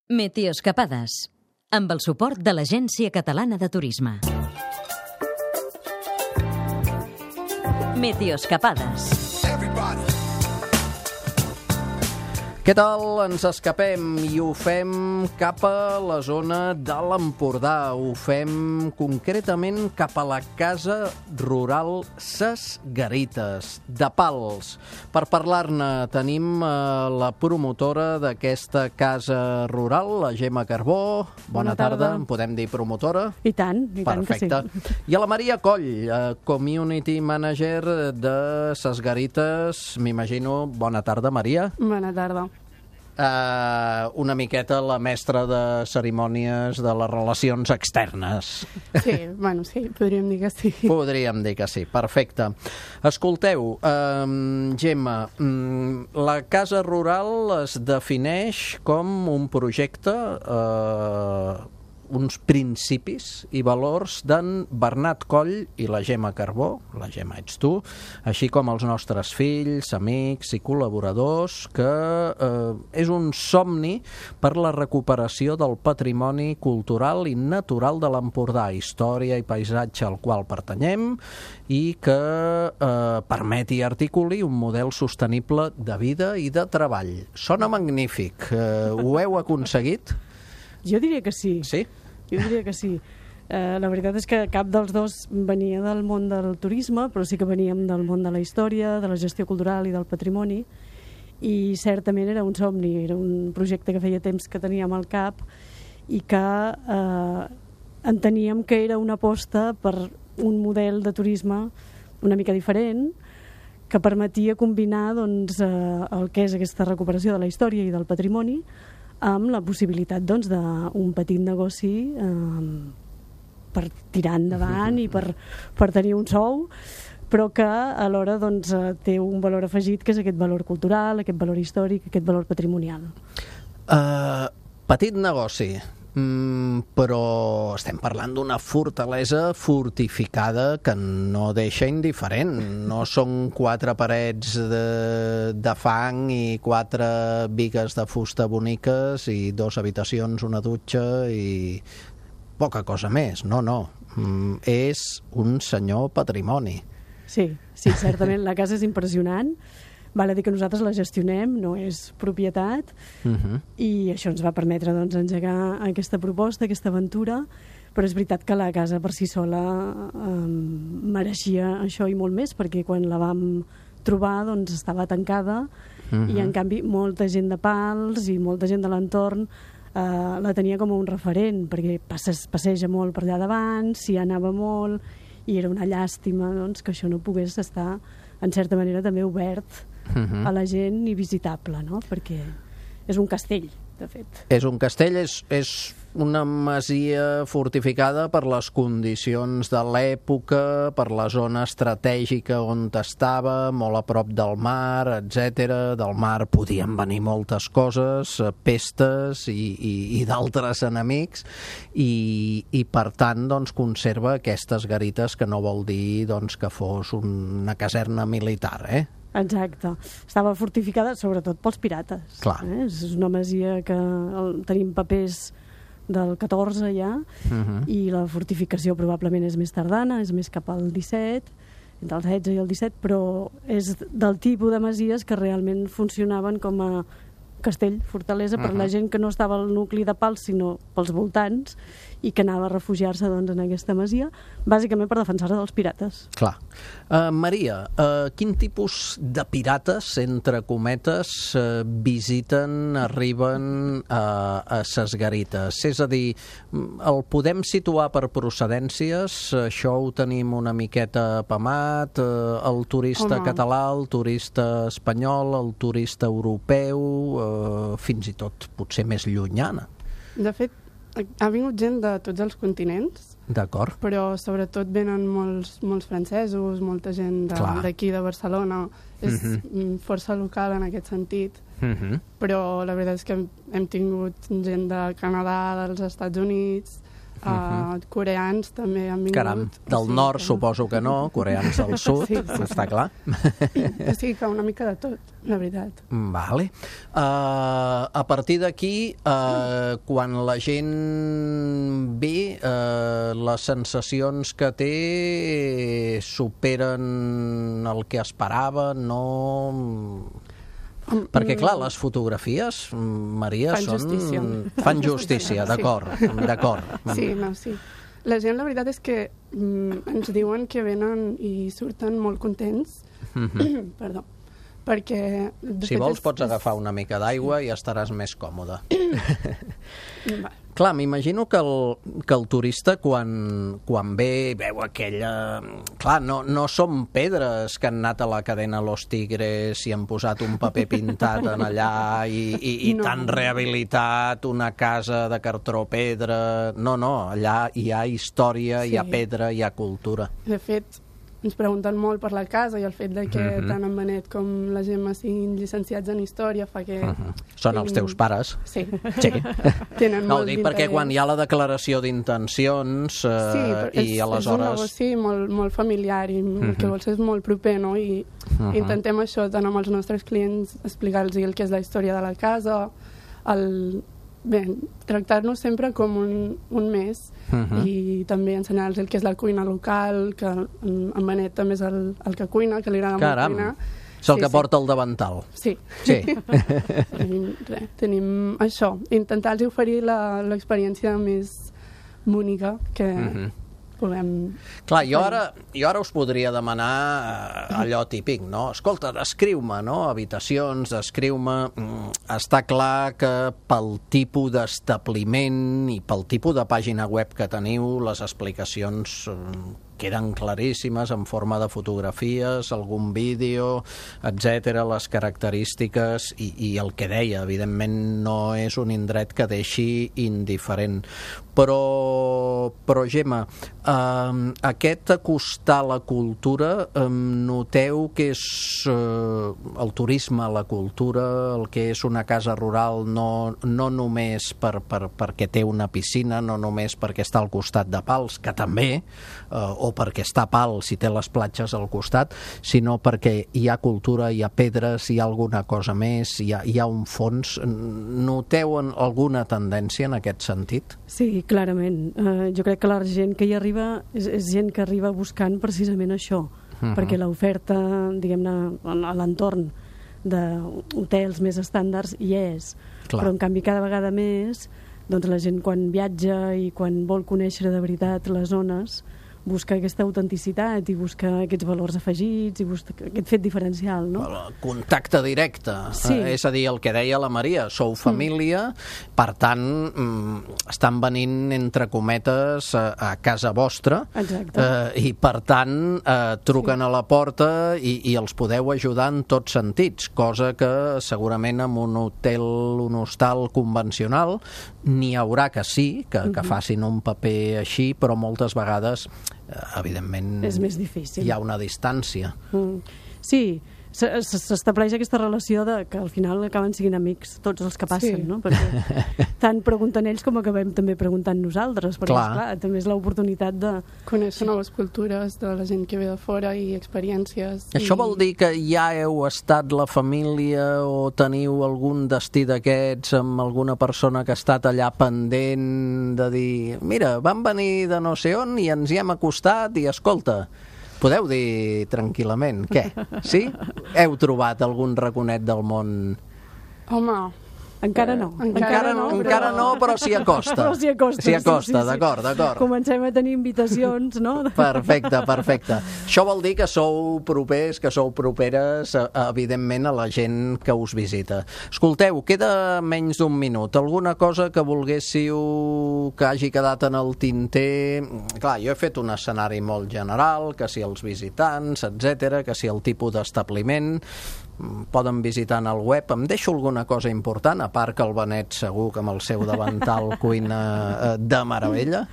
Meteoscapades, amb el suport de l'Agència Catalana de Turisme. Meteoscapades. Què tal? Ens escapem i ho fem cap a la zona de l'Empordà. Ho fem concretament cap a la Casa Rural Ses Garites, de Pals. Per parlar-ne tenim la promotora d'aquesta casa rural, la Gemma Carbó. Bona tarda. En podem dir promotora? I tant que sí. Perfecte. I a la Maria Coll, Community Manager de Ses Garites. M'imagino. Bona tarda, Maria. Bona tarda. Una miqueta la mestra de cerimònies de les relacions externes. Sí, podríem dir que sí. Podríem dir que sí, perfecte. Escolteu, Gemma, la casa rural es defineix com un projecte, uns principis i valors d'en Bernat Coll i la Gemma Carbó, la Gemma ets tu, així com els nostres fills, amics i col·laboradors, que és un somni per la recuperació del patrimoni cultural i natural de l'Empordà, història i paisatge al qual pertanyem, i que permeti i articuli un model sostenible de vida i de treball. Sona magnífic. Ho heu aconseguit? Jo diria que sí. Sí? Jo diria que sí. La veritat és que cap dels dos venia del món del turisme, però sí que veníem del món de la història, de la gestió cultural i del patrimoni, i certament era un somni, era un projecte que feia temps que teníem al cap i que enteníem que era una aposta per un model de turisme una mica diferent, que permetia combinar el que és aquesta recuperació de la història i del patrimoni amb la possibilitat d'un petit negoci per tirar endavant i per tenir un sou, però que alhora té un valor afegit, que és aquest valor cultural, aquest valor històric, aquest valor patrimonial. Petit negoci, però estem parlant d'una fortalesa fortificada que no deixa indiferent. No són 4 parets de fang i 4 bigues de fusta boniques i 2 habitacions, una dutxa i poca cosa més. No. És un senyor patrimoni. Sí, certament. La casa és impressionant. Val a dir que nosaltres la gestionem, no és propietat, i això ens va permetre engegar aquesta proposta, aquesta aventura, però és veritat que la casa per si sola mereixia això i molt més, perquè quan la vam trobar estava tancada i en canvi molta gent de Pals i molta gent de l'entorn la tenia com un referent, perquè passeja molt per allà davant, s'hi anava molt, i era una llàstima que això no pogués estar en certa manera també obert a la gent i visitable, no? Perquè és un castell, de fet. És un castell, és una masia fortificada per les condicions de l'època, per la zona estratègica on estava, molt a prop del mar, etc. Del mar podien venir moltes coses, pestes i d'altres enemics, i per tant conserva aquestes garites, que no vol dir que fos una caserna militar, Exacte. Estava fortificada sobretot pels pirates. Clar. És una masia que tenim papers del 14 ja, i la fortificació probablement és més tardana, és més cap al 17, entre el 16 i el 17, però és del tipus de masies que realment funcionaven com a castell, fortalesa, per la gent que no estava al nucli de Pals, sinó pels voltants, i que anava a refugiar-se en aquesta masia, bàsicament per defensar-se dels pirates. Clar. Maria, quin tipus de pirates, entre cometes, visiten, arriben a Ses Garites? És a dir, el podem situar per procedències? Això ho tenim una miqueta apamat? El turista català, el turista espanyol, el turista europeu, fins i tot potser més llunyana? De fet, ha vingut gent de tots els continents. D'acord. Però sobretot venen molts francesos, molta gent d'aquí de Barcelona. És força local en aquest sentit. Però la veritat és que hem tingut gent de Canadà, dels Estats Units, Coreans també han vingut. Caram, del nord suposo que no, coreans del sud, està clar. O sigui que una mica de tot, la veritat. Vale. A partir d'aquí, quan la gent ve, les sensacions que té superen el que esperava, no... Perquè, clar, les fotografies, Maria, fan justícia, d'acord. Sí, no, sí. La gent, la veritat és que ens diuen que venen i surten molt contents. Perdó. Perquè... Si vols pots agafar una mica d'aigua i estaràs més còmode. Clar, m'imagino que el turista quan ve veu aquella... Clar, no són pedres que han anat a la cadena Los Tigres i han posat un paper pintat en allà i t'han rehabilitat una casa de cartró pedra... No, allà hi ha història, hi ha pedra, hi ha cultura. De fet, ens pregunten molt per la casa i el fet de que tant en Benet com la Gemma siguin llicenciats en història fa que... Són els teus pares? Sí. Tenen molt d'interès. Perquè quan hi ha la declaració d'intencions i aleshores... És un negoci molt familiar i el que vols és molt proper, no? I intentem això tant amb els nostres clients, explicar-los el que és la història de la casa, tractar-nos sempre com un mes i també ensenyar-los el que és la cuina local, que en Benet també és el que cuina, que li agrada molt cuinar. És el que porta el davantal. Sí. Tenim això, intentar-los oferir l'experiència més bonica que puguem... Clar, jo ara us podria demanar allò típic, no? Escolta, descriu-me, no? Habitacions, descriu-me... Està clar que pel tipus d'establiment i pel tipus de pàgina web que teniu, les explicacions queden claríssimes en forma de fotografies, algun vídeo, etc, les característiques i el que deia, evidentment no és un indret que deixi indiferent. Però Gemma, aquest acostar la cultura, noteu que és el turisme, la cultura, el que és una casa rural, no només perquè té una piscina, no només perquè està al costat de Pals, que també, o perquè està a Pals si té les platges al costat, sinó perquè hi ha cultura, hi ha pedres, hi ha alguna cosa més, hi ha un fons. Noteu alguna tendència en aquest sentit? Sí, clarament. Jo crec que la gent que hi arriba és gent que arriba buscant precisament això, perquè l'oferta, diguem-ne, a l'entorn d'hotels més estàndards hi és. Clar. Però en canvi cada vegada més doncs la gent quan viatja i quan vol conèixer de veritat les zones busca aquesta autenticitat i busca aquests valors afegits i busca aquest fet diferencial, no? Contacte directe, sí. És a dir, el que deia la Maria, sou família, per tant, estan venint, entre cometes, a casa vostra. Exacte. I per tant, truquen a la porta i els podeu ajudar en tots sentits, cosa que segurament en un hotel, un hostal convencional, n'hi haurà que sí, que facin un paper així, però moltes vegades evidentment és més difícil. Hi ha una distància. Sí, s'estableix aquesta relació que al final acaben sent amics tots els que passen, no? Perquè tant pregunten ells com acabem també preguntant nosaltres, perquè clar, també és l'oportunitat de conèixer noves cultures de la gent que ve de fora i experiències. Això vol dir que ja heu estat la família o teniu algun destí d'aquests amb alguna persona que ha estat allà pendent de dir, mira, vam venir de no sé on i ens hi hem acostat i escolta, podeu dir tranquil·lament, què? Sí? Heu trobat algun raconet del món? Home, encara no. Encara no, però s'hi acosta. Però s'hi acosta, sí. D'acord. Comencem a tenir invitacions, no? Perfecte. Això vol dir que sou propers, que sou properes, evidentment, a la gent que us visita. Escolteu, queda menys d'un minut. Alguna cosa que volguéssiu que hagi quedat en el tinter? Clar, jo he fet un escenari molt general, que si els visitants, etc, que si el tipus d'establiment, poden visitar en el web. Em deixo alguna cosa important, a part que el Benet segur que amb el seu davantal cuina de meravella.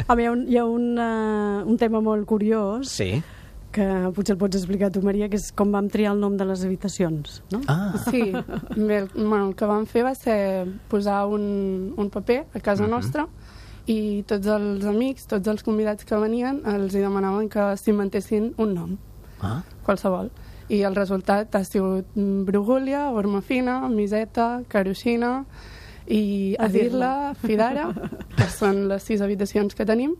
Hi ha un tema molt curiós, sí, que potser el pots explicar tu, Maria, que és com vam triar el nom de les habitacions, no? Sí, el que vam fer va ser posar un paper a casa nostra i tots els amics, tots els convidats que venien, els hi demanaven que s'inventessin un nom, qualsevol. I el resultat ha sigut Brugúlia, Ormafina, Miseta, Caruixina i Adirla, Fidara, que són les 6 habitacions que tenim.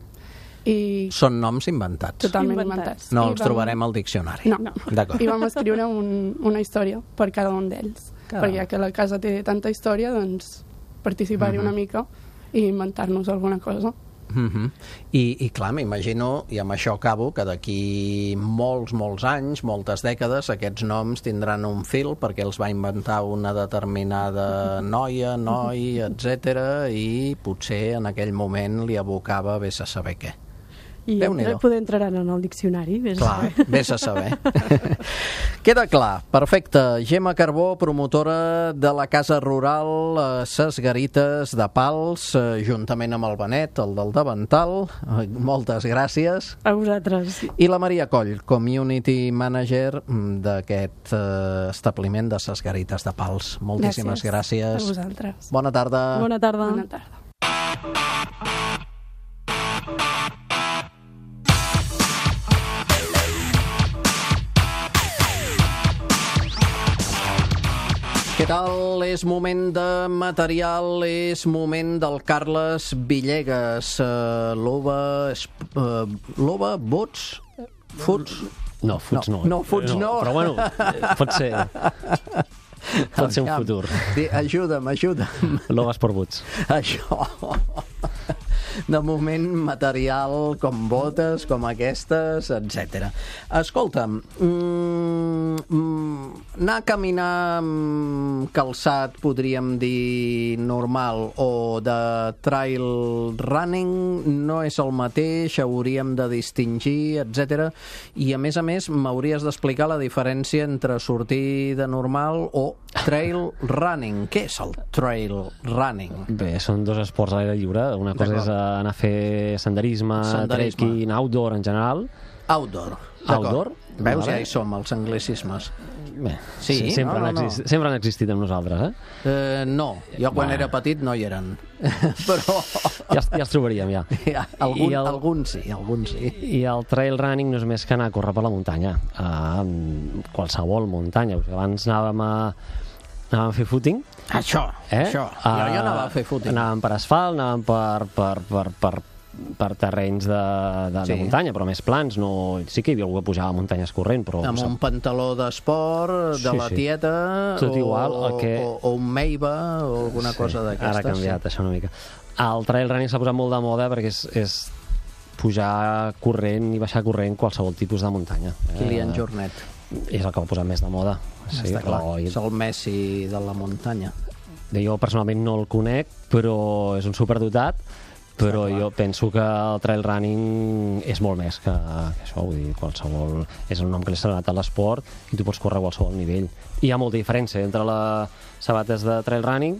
I són noms inventats. Totalment inventats. No els trobarem al diccionari. No. D'acord. I vam escriure una història per cada un d'ells. Perquè ja que la casa té tanta història, doncs participar-hi una mica i inventar-nos alguna cosa. I clar, m'imagino, i amb això acabo, que d'aquí molts anys, moltes dècades, aquests noms tindran un fil perquè els va inventar una determinada noia, noi, etc. i potser en aquell moment li abocava vés a saber què. I poder entraran en el diccionari. Clar, vés a saber. Queda clar, perfecte. Gemma Carbó, promotora de la Casa Rural Ses Garites de Pals, juntament amb el Benet, el del Davantal. Moltes gràcies. A vosaltres. I la Maria Coll, Community Manager d'aquest establiment de Ses Garites de Pals. Moltíssimes gràcies. A vosaltres. Bona tarda. Bona tarda. Bona tarda. Què tal? És moment de material, és moment del Carles Villegas. L'OVA, bots? Futs? No, futs no. No, futs no. Però bueno, pot ser un futur. Ajuda'm. L'OVA Sport Boots. Això. De moment, material com botes, com aquestes, etc. Escolta'm, anar a caminar amb calçat, podríem dir, normal, o de trail running, no és el mateix, hauríem de distingir, etc. I, a més, m'hauries d'explicar la diferència entre sortir de normal o trail running. Què és el trail running? Bé, són dos esports a l'aire lliure. Una cosa és anar a fer senderisme, trekking, outdoor en general. Outdoor. Veus, ja hi som, els anglicismes. Bé, sí, sempre han existit amb nosaltres, no, jo quan era petit no hi eren. Però... Ja els trobaríem, ja. Alguns sí. I el trail running no és més que anar a córrer per la muntanya. Qualsevol muntanya. Abans anàvem a fer footing. Això. Jo anava a fer footing. Anàvem per asfalt, anàvem per terrenys de muntanya, però més plans. Sí que hi havia algú que pujava a muntanyes corrent, però... Amb un pantaló d'esport, de la tieta, o un Meiva, o alguna cosa d'aquestes. Ara ha canviat això una mica. El trail running s'ha posat molt de moda perquè és pujar corrent i baixar corrent qualsevol tipus de muntanya. Kilian Jornet. És el que va posar més de moda. Està clar, és el Messi de la muntanya. Jo personalment no el conec, però és un superdotat, però jo penso que el trail running és molt més que això, vull dir, qualsevol... És el nom que li s'ha donat a l'esport i tu pots córrer a qualsevol nivell. I hi ha molta diferència entre les sabates de trail running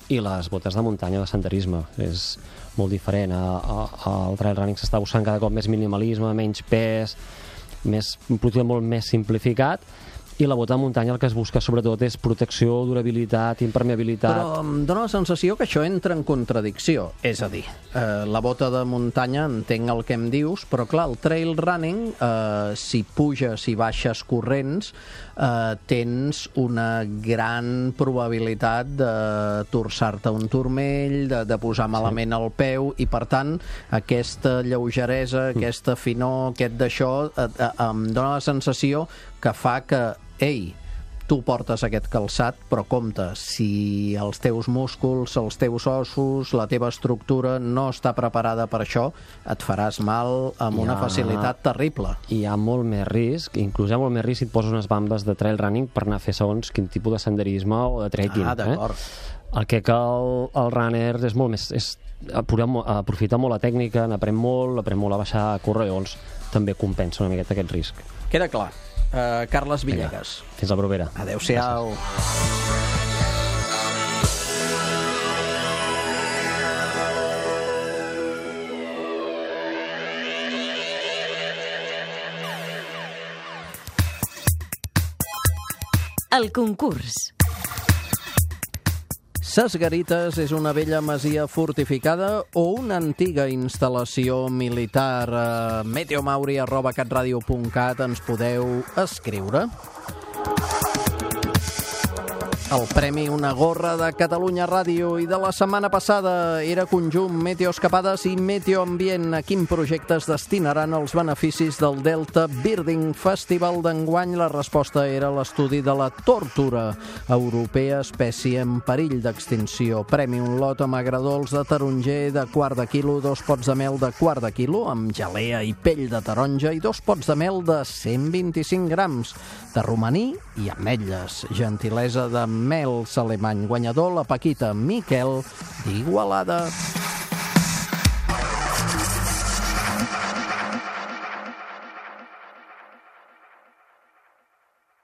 i les botes de muntanya de senderisme. És molt diferent. El trail running s'està buscant cada cop més minimalisme, menys pes, un producte molt més simplificat, i la bota de muntanya el que es busca sobretot és protecció, durabilitat, impermeabilitat. Però em dóna la sensació que això entra en contradicció. És a dir, la bota de muntanya, entenc el que em dius, però clar, el trail running, si puges i baixes corrents, tens una gran probabilitat de torçar-te un turmell, de posar malament el peu, i per tant, aquesta lleugeresa, aquesta finor, aquest d'això, em dóna la sensació que fa que ei, tu portes aquest calçat, però compte, si els teus músculs, els teus ossos, la teva estructura no està preparada per això, et faràs mal amb una facilitat terrible. Hi ha molt més risc, inclús hi ha molt més risc si et poses unes bambes de trail running per anar a fer segons quin tipus de senderisme o de trekking. D'acord. El que el runner és molt més... aprofita molt la tècnica, n'aprèn molt a baixar a córrer, llavors també compensa una miqueta aquest risc. Queda clar. Carles Villegas. Fins la propera. Adéu-siau. El concurs. Ses Garites és una vella masia fortificada o una antiga instal·lació militar? meteomauri@catradio.cat ens podeu escriure. El premi Una gorra de Catalunya Ràdio i de la setmana passada era conjunt Meteoescapades i Meteoambient. A quin projecte es destinaran els beneficis del Delta Birding Festival d'enguany? La resposta era l'estudi de la tórtora europea, espècie en perill d'extinció. Premi un lot amb agradols de taronger de quart de quilo, 2 pots de mel de quart de quilo amb gelea i pell de taronja i 2 pots de mel de 125 grams de romaní i ametlles. Gentilesa de Mels Alemany. Guanyador la Paquita Miquel d'Igualada.